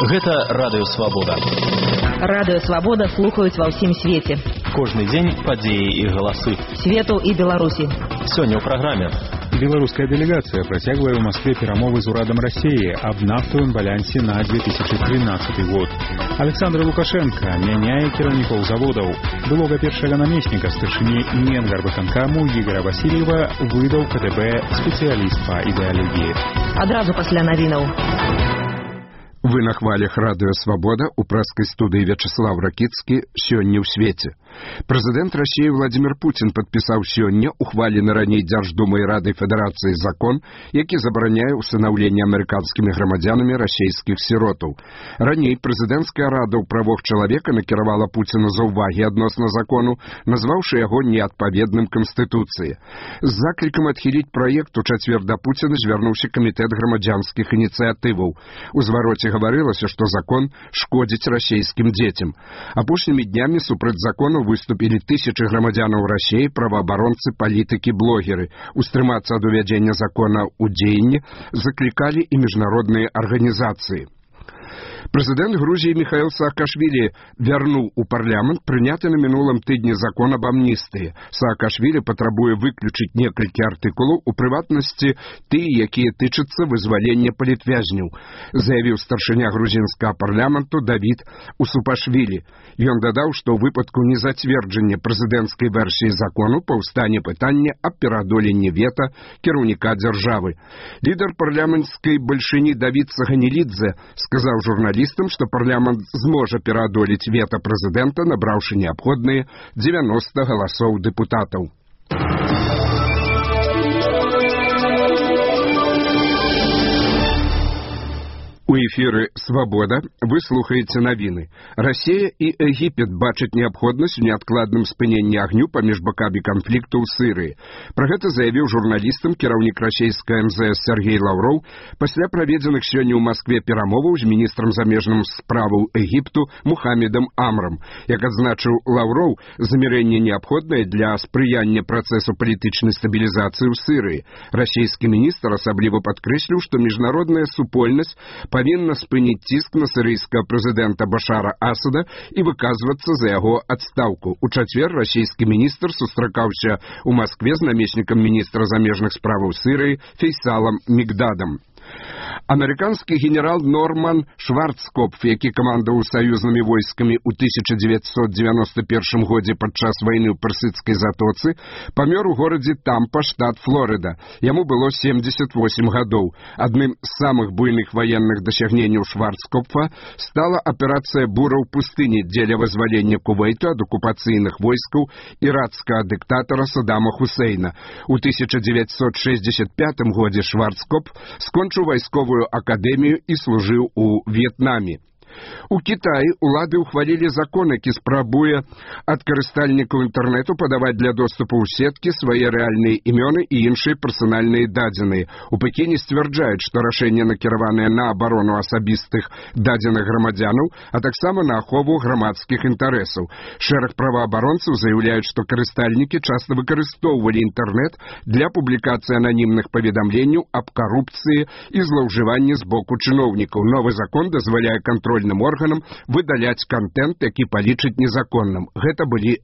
Гэта Радыё Свабода. Радыё Свабода слухаюць ва ўсім свеце. Кожны дзень падзеі і галасы. Свету і Беларусі. Сёння ў праграме. Беларуская делегация працягвае ў Москве перамовы з урадам России аб нафтавым балансе на 2013 год. Александр Лукашенко мяняе кіраўнікоў заводаў. Былога першага намесніка старшыні Менгарвыканкаму Ігора Васильева выдаў КДБ спецыяліст па ідэалогіі. Адразу пасля навінаў. Вы на хвалях Радыё Свабода у прэскай студыі Вячеслав Ракіцкі сёння ў свеце. Прэзідэнт России Владимир Путин падпісаў сёння ухвалены раней Дзярждумай Радай Федэрацыі закон, які забараняе усынаўленне амерыканскімі грамадзянамі расійскіх сіротаў. Раней прэзідэнцкая рада ў правах чалавека накіравала Пуціну заўвагі адносна закону, назваўшы яго неадпаведным Канстытуцыі. З заклікам адхіліць праект у чацвер да Пуціна звярнуўся камітэт грамадзянскіх ініцыятываў. У звароце гаварылася, што закон шкодзіць расійскім дзецям. Апошнімі днямі супраць закону выступілі тысячы грамадзянаў России, праваабаронцы, палітыкі, блогеры. Устрымацца ад увядзення закона ў дзеянні заклікалі і міжнародныя арганізацыі. Прэзідэнт Грузіі Михаил Саакашвили вярнуў у парламент прыняты на мінулым тыдні закон об амністыі. Саакашвили патрабуе выключыць некалькі артыкулаў, у прыватнасці тыя, якія тычацца вызвалення палітвязняў, заявіў старшыня грузінскага парламенту Давид Усупашвили. Ён дадаў, што ў выпадку незацверджання прэзідэнцкай версіі закону паўстане пытанне аб пераадоленні вета кіраўніка дзяржавы. Лідар парламенцкай бальшыні Давид Саганелідзе сказаў журналістам, што парламент зможа пераадолець вета прэзідэнта, набраўшы неабходныя 90 галасоў дэпутатаў. У эфіры «Свабода» вы слухаеце навіны. Расія і Егіпет бачаць неабходнасць у неадкладным спыненні агню паміж бакамі канфлікту ў Сірыі. Пра гэта заявіў журналістам кіраўнік расійскай МЗС Сергей Лаўроў пасля праведзеных сёння ў Маскве перамоваў з міністрам замежных справаў Егіпту Мухаммедам Амрам. Як адзначыў Лаўроў, замірэнне неабходнае для спрыяння працэсу палітычнай стабілізацыі ў Сірыі. Расійскі міністр асабліва падкрэсліў, што міжнародная супольнасць павінна спыніць ціск на сірыйскага прэзідэнта Башара Асада і выказвацца за яго адстаўку. У чацвер расійскі міністр сустракаўся ў Маскве з намеснікам міністра замежных справаў Сірыі Фейсалам Мигдадам. Амерыканскі генерал Норман Шварцкопф, які камандаваў саюзнымі войскамі ў 1991 годзе падчас вайны ў Персідскай затоцы, памёр у горадзе Тампа, штат Флорыда. Яму было 78 гадоў. Адным з самых буйных ваенных дасягненняў Шварцкопфа стала аперацыя «Бура ў пустыні» дзеля вызвалення Кувейту ад акупацыйных войскаў іракскага дыктатара Саддама Хусейна. У 1965 годзе Шварцкопф скончыў вайсковую акадэмію і служыў у В'етнаме. У Кітаі улады ўхвалілі закон, які спрабуе ад карыстальнікаў інтэрнэту падаваць для доступу ў сеткі свае рэальныя імёны і іншыя персанальныя дадзеныя. У Пекіне сцвярджаюць, што рашэнне накіраванае на абарону асабістых дадзеных грамадзянаў, а таксама на ахову грамадскіх інтарэсаў. Шэраг праваабаронцаў заяўляюць, што карыстальнікі часта выкарыстоўвалі інтэрнэт для публікацыі ананімных паведамленняў аб карупцыі і злоўжыванні з боку чыноўнікаў. Новы закон дазваляе кантрольным органам выдаляць кантэнт, які палічыць незаконным. Гэта былі